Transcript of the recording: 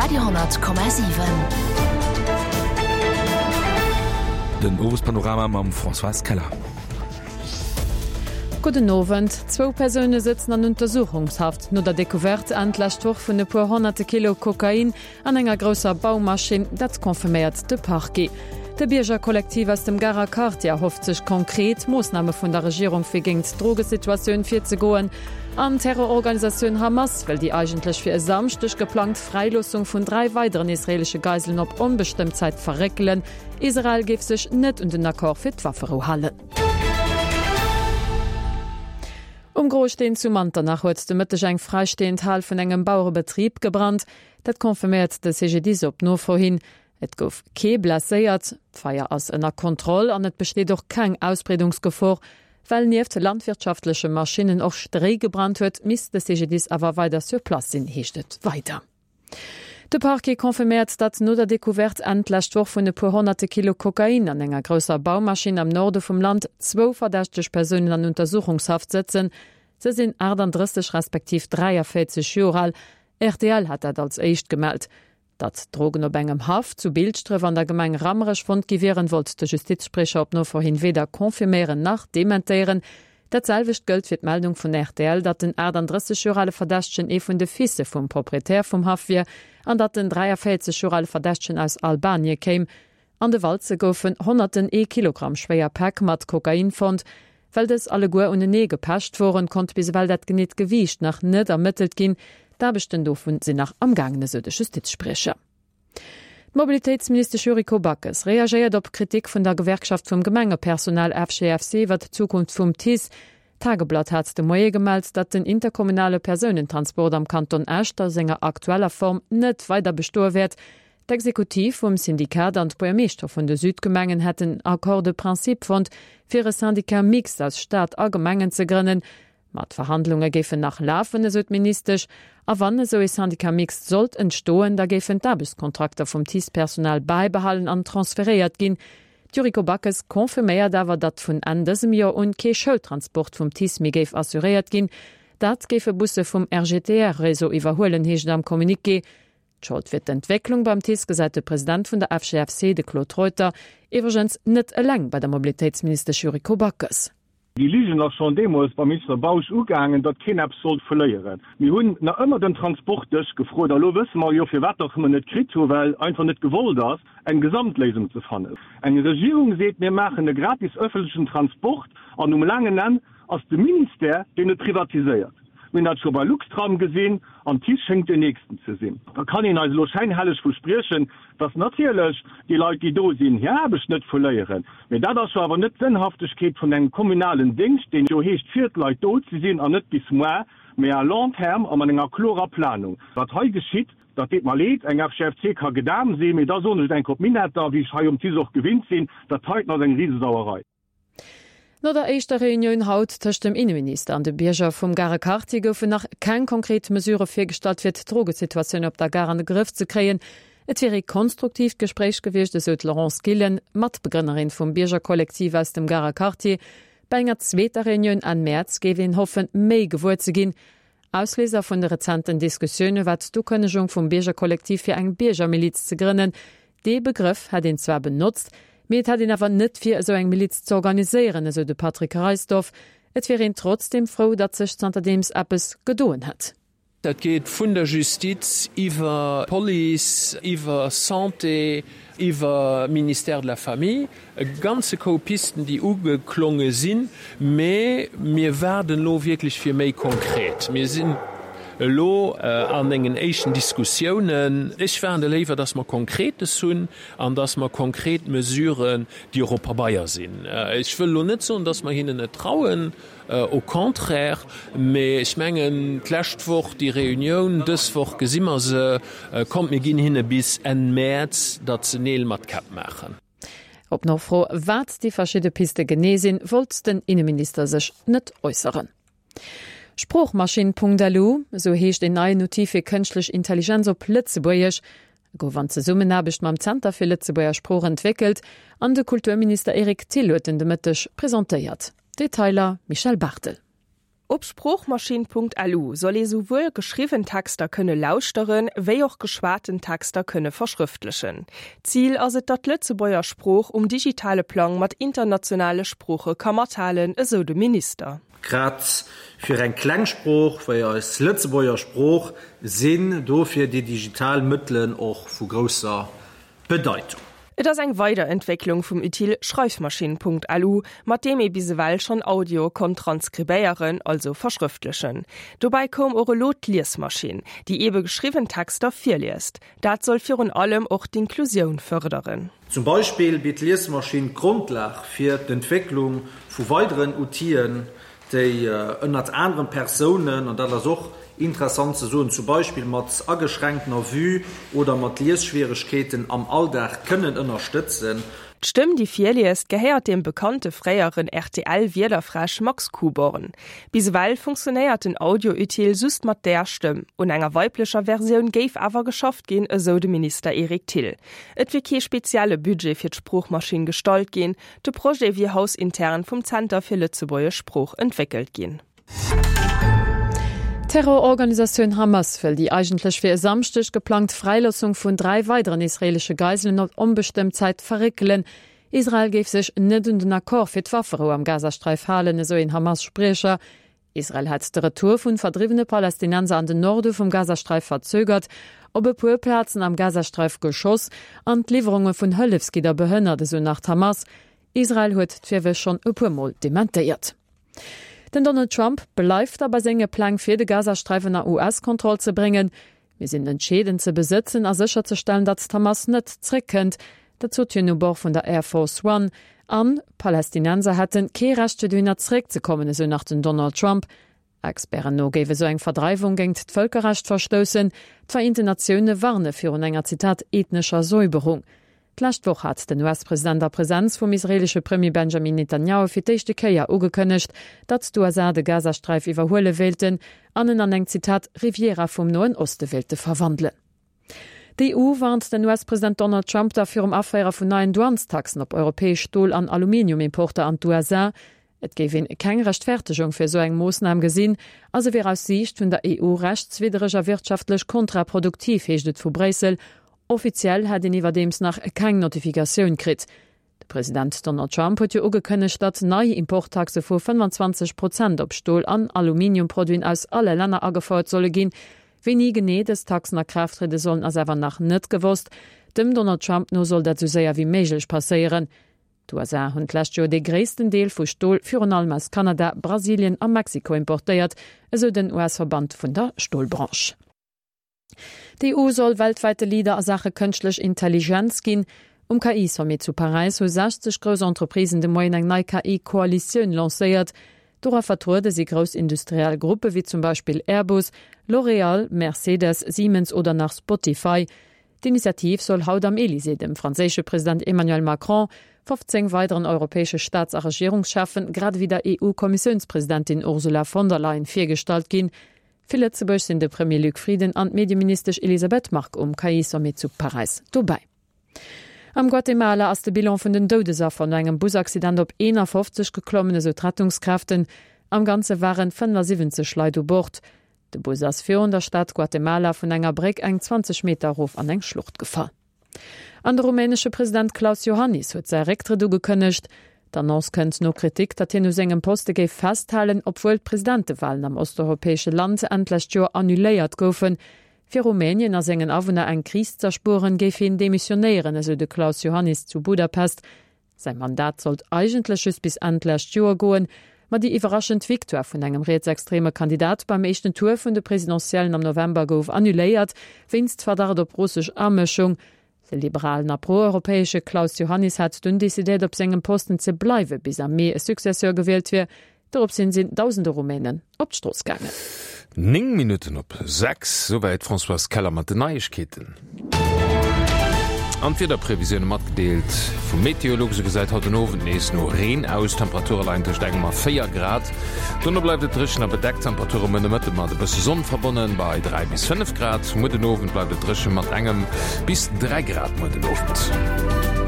Radio,7. Den Owespanorama mam Françoise Keller. Gudden Owend. Zwou Persoune sëtzen an Untersuchungshaft no der Decouverte Enn d'lescht Woch vun e puer honnerte Kilo Kokain An enger grousser Baumaschinn, dat confirméiert de Parquet. De Biergerkollektiv aus dem Garer Quartier erhofft sech konkret Moossname vun der Regierung fir géingt d'Drogesituatioun virzegoen. An d'Terrororganisatioun Hamas wëll déi eigentlech fir e Samschdeg geplangt Fräiloossung vun 3 weideren israeelesche Geiselen op onbestëmmt Zäit verréckelen. Israel géif sech net un den Accord fir d'Wafferou halen. Um Groesteen zu Manternach huet de Mëtteg eng fräistehend Hal vun engem Bauerebetrib gebrannt. Dat confirméiert de CGDIS op Nofro hin. Et gouf kee blesséiert, d'Feier ass ënner Kontroll an et besteet och keng Ausbreedungsgefor. Well nieft landwirtschaftleche Maschinnen och Stréi gebrannt huet, misst de CGDIS awer weider sur place sinn, heescht et weider. De Parquet confirméiert, datt no der Decouverte Enn d'lescht Woch vun e puer honnerte Kilo Kokain an enger grousser Baumaschinn am Norde vum Land zwou verdächteg Persounen an Untersuchungshaft sëtzen. Se sinn 38 respektiv 43 Joer al. Rtl hat dat als éischt gemellt. Datt Drogen op engem Haff zu Bilschdref an der Gemeng Rammerech fonnt gi wieren, wollt de Justizspriecher op Nofro hin weder confirméieren nach dementéieren. Dat selwecht gëllt fir d'Meldung vun rtl, datt den 38 Joer ale Verdächtegen ee vun de Fisse vum Proprietär vum Haff wier an datt den 43 Joer ale Verdächtegen aus Albanie kéim. An de Walze goufen honnerten ee Kilogramm schwéier Päck mat Kokain fonnt. Well dës alleguer unenee gepecht woren, konnt bis ewell dat geneet Gewiicht nach net ermëttelt ginn. D'Aarbechten dovun sinn nach am gaangen, esou de Justizspriecher. D'Mobilitéitsministesch Yuriko Backes reagéiert op Kritik vun der Gewerkschaft vum Gemengepersonal FGFC iwwer d'Zukunft vum TICE. D'Tageblatt hat de Moie gemellt, datt den interkommunale Persounentransport am Kanton Esch a senger aktueller Form net weider bestoe wäert. D'Exekutiv vum Syndikat an d'Buergermeeschtere vun de Südgemengen hätten en Accord de principe fonnt, fir e Syndicat mixte aus Stad a Gemengen ze grënnen. Ma d'Verhandlunge géifen nach lafen, esou d'Ministesch. A wann esou ee Syndicat mixte sollt entstoen, da géifen d'Aarbechtskontrakter vum TICE-Personal bäibehalen an transferéiert ginn. D'Yuriko Backes confirméiert awer, datt vun Enn dësem Joer un kee Schoultransport vum TICE méi géif assuréiert ginn. Dat géife Busse vum RGTR-Réseau iwwerhuelen, heescht et am Communiqué. D'Schold fir d'Entwécklung beim TICE gesäit de President vun der FGFC, de Claude Reuter, iwwregens net eleng bei der Mobilitéitsministesch Yuriko Backes. Déi Ligen ass schonn deemools beim Minister Bausch ugaangen, datt keen eppes sollt verléieren. Mir hunn nach ëmmer den Transportdësch gefrot a lo wësse mer jo, firwat datt mer net kritt hu, well einfach net gewollt ass, eng Gesamtléisung ze fannen. Eng Regierung seet, mir maachen e gratis ëffentlechen Transport an um laangen Enn ass de Ministère, deen et privatiséiert. Mir hunn dat scho bei Luxtram gesinn an TICE schéngt deen nächsten ze sinn. Da kann een eis elo schäinhelleg verspriechen, dass natierlech déi Leit, déi do sinn, hir Aarbecht net verléieren. Mee dat ass jo awer net d'Sënnhaftegkeet vun engem kommunalen Déngscht, deen jo heescht, fir d'Leit do ze sinn an net bis moar, mee à long terme a mat enger klorer Planung. Wat hei geschitt, dat deet mer leed. Eng FGFC ka gedam sinn, mee da soen ech et enk op Minetter, wéi ech hei um TICE och gewinnt sinn, dat heiten ass eng Risesauerei. No der éischter Reunioun haut tëscht dem Inneminister an de Bierger vum Garer Quartier goufen nach keng konkret Mesurë virgestallt, fir d'Drogesituatioun op der Gare an de Grëff ze kréien. Et wier ee konstruktiivt Gespréich gewiescht, esou d'Laurence Gillen, Matbegrënnerin vum Biergerkollektiv aus dem Garer Quartier. Bei enger zweeter Reunioun Enn Mäerz géif een hoffen, méi gewuer ze ginn. Ausléiser vun de rezenten Diskussioune war d'Ukënnegung vum Biergerkollektiv fir eng Biergermiliz ze grënnen. Dee Begrëff hätt een zwar benotzt, mee et hätt een awer net vir, esou eng Miliz z'organiséieren, esou de Patrick Reisdorff. Et wier een trotzdeem frou, datt sech zanterdeems eppes gedoen hätt. Dat geet vun der Justiz iwwer Police, iwwer Santé, iwwer Ministère de la Famille, e ganze Koup Pisten, déi ugeklonge sinn. Mee mir waarden elo wierklech fir méi konkret. Mir sinn elo an engen éischten Diskussiounen. Ech waarde léiwer, dass mer Konkretes hunn an dass mer konkret Mesuren, déi och op Pabeier sinn. Ech wëll elo net soen, dass mer hinnen net trauen, au contraire, mee ech mengen, d'lescht Woch déi Reunioun, dës Woch gesi mer se. Kommt, mir ginn hinne bis Enn Mäerz, datt se Neel mat Käpp maachen. Op Nofro, wat déi verschidde Piste genee sinn, wollt den Inneminister sech net äusseren. Sproochmaschinn.lu, esou heescht een neien Outil fir kënschtlech Intelligenz op Lëtzebuergesch. E gouf an Zesummenaarbecht mam Zenter fir Lëtzebuerger Sprooch entwéckelt an de Kulturminister Eric Thill huet en de Mëtteg presentéiert. Detailer Michel Barthel. Op Sproochmaschinn.lu soll ee souwuel geschriwwen Texter kënne lauschteren, wéi och geschwaten Texter kënne verschrëftlechen. Zil ass et, datt d'Lëtzebuerger Sprooch um digitale Plang mat internationale Sprooche ka mathalen, esou de Minister. Grad fir eng kleng Sprooch wéi eis Lëtzebuerger Sprooch sinn dofir déi digital Mëttelen och vu grousser Bedeitung. Et ass eng Weiderentwécklung vum Outil Schreifmaschinn.lu, mat deem ee bis ewell schonn Audioe konnt transkribéieren, also verschrëftlechen. Dobäi koum och elo d'Liesmaschinn, déi eebe geschriwwen Texter virliest. Dat soll virun allem och d'Inklusioun fërderen. Zum Beispill bitt d'Liesmaschinn d'Grondlag fir d'Entwécklung vu weideren Outile déi ënnert anerem Persounen, an dat ass och interessant ze soen, zum Beispill mat ageschränktener Vue oder mat Liesschwieregkeeten am Alldag kënnen ënnerstëtzen. D'Stëmm, déi virliest, gehéiert dem bekannte fréieren RTL-Wiederfräsch Max Kuborn. Bis ewell funktionéiert den Audio-Utile just mat där Stëmm. Un enger weiblecher Versioun géif awer geschafft ginn, esou de Minister Eric Thill. Et wier kee spezielle Budget fir d'Sproochmaschinn gestallt ginn, De Projet wier hausintern vum Zenter fir lëtzebuergesch Sprooch entwéckelt ginn. D'Terrororganisatioun Hamas wëll déi eigentlech fir e Samschdeg geplangt Fräiloossung vun 3 weideren israeelesche Geiselen op onbestëmmt Zäit verréckelen. Israel géif sech net un den Accord fir d'Wafferou am Gazasträif halen, esou een Hamas-Spriecher. Israel hätt de Retour vun verdriwwene Palästinenser an den Norde vum Gazasträif verzögert, op e puer Plazen am Gazasträif geschoss an d'Liwwerunge vun Hëllefsgidder behënnert, esou nach d'Hamas. Israel huet d'Virwërf schonn e puer Mol dementéiert. Den Donald Trump bleift da bei senge Pläng fir de Gazasträif ënner US-Kontroll ze bréngen. Mir sinn entscheeden ze besëtzen a sécherzestellen, datt d'Hamas net zréckkënnt. Dat sot hien u Bord vun der Air Force One. An d'Palästinenser hätten kee Recht fir dohinner zréckzekommen, esou nach den Donald Trump. Experten no géif esou eng Verdreiwung géingt d'Vëlkerrecht verstoussen. D'Vereenten Natioune warne virun enger, Zitat, ethnescher Säuberung. D'lescht Woch hat den US-President a Presenz vum israeelesche Premier Benjamin Netanjahu fir d'éischte Kéier ugekënnegt, datt d'USA de Gazasträif iwwerhuele wéilten an en an eng, Zitat, Riviera vum Noen Oste wéilte verwandelen. D'EU warnt den US-President Donald Trump da virum Aféiere vun neien Douanestaxen op europäesch Stol an Aluminiumimporter an d'USA. Et géif een keng Rechtfertegung fir esou eng Moossnam gesinn a se wier aus Siicht vun der EU rechtswiddereg a wirtschaftlech kontraproduktiv, heescht et vu Bréissel. Offiziell hätt een iwwerdeems nach keng Notifikatioun kritt. De President Donald Trump huet jo ugekënnegt, datt nei Importtaxe vu 25 Prozent op Stol an Aluminiumproduiten aus alle Länner agefouert solle ginn. Wéini genee dës Taxen a Kraaft triede sollen, ass awer nach net gewosst. Dem Donald Trump no soll dat esou séier wéi méiglech passéieren. D'USA hunn d'lescht Joer dee gréissten Deel vu Stol virun allem aus Kanada, Brasilien a Mexiko importéiert, esou den US-Verband vun der Stolbranche. D'EU soll weltwäite Leader a Saache kënschtlech Intelligenz ginn. Um KI-Sommet zu Paräis hu 60 grouss Entreprisen de Moien eng nei KI-Koalitioun lancéiert. Dora vertruede si grouss industriell Gruppe wéi zum Beispill Airbus, L'Oréal, Mercedes, Siemens oder nach Spotify. D'Initiativ soll haut am Elysée dem franséische President Emmanuel Macron, 15 weideren europäesche Staats a Regierungscheffen, grad ewéi der EU-Kommissiounspresidentin Ursula von der Leyen virgestallt ginn. Fir Lëtzebuerg sinn de Premier Luc Frieden an d'Medieministesch Elisabeth Margue um KI-Sommet zu Paräis dobäi. Am Guatemala ass de Bilan vun den Doudesaffer no engem Busaccident op 51 geklommen, esou d'Rettungskräften. Am Ganze waren 75 Leit u Bord. De Bus ass virun der Stad Guatemala vun enger Bréck eng 20 Meter erof an eng Schlucht gefall. An de rumänesche President Klaus Iohannis huet säi Récktrëtt ugekënnegt. D'Annonce kënnt no Kritik, datt hien u sengem Poste géif festhalen, obwuel d'Presidentewalen am osteuropäesche Land Enn d'lescht Joer annuléiert goufen. Fir Rumänien a sengen Awunner eng Kris z'erspueren, géif hien demissionéieren, esou de Klaus Iohannis zu Budapest. Säi Mandat sollt eigentlech just bis Enn d'lescht Joer goen, ma déi iwwerraschend Victoire vun engem rietsextreme Kandidat beim éischten Tour vun de Presidentiellen am November gouf annuléiert, wéinst Verdacht op russesch Amëschung. De liberalen a pro-europäesche Klaus Iohannis hat dunn decidéiert op sengem Posten ze bleiwe bis am Mee e Successeur gewielt wier. Doropshin sinn dausende Rumänen op d'Strooss gaangen. 9 Minutten op 6, souwäit d'Françoise Keller mat den Neiegkeeten. An d'Wiederprevisioune matgedeelt vum Meteolux. Et gesäit haut den Owend nees no Reen aus, Temperature leien tëscht engem a 4 Grad. Dono bleift et dréchen a bedeckt, Temperature muer Nomëtte mat e bësse Sonn verbonnen, bei 3 bis 5 Grad. Muer den Owend bleift et dréche mat engem bis 3 Grad muer den Owend.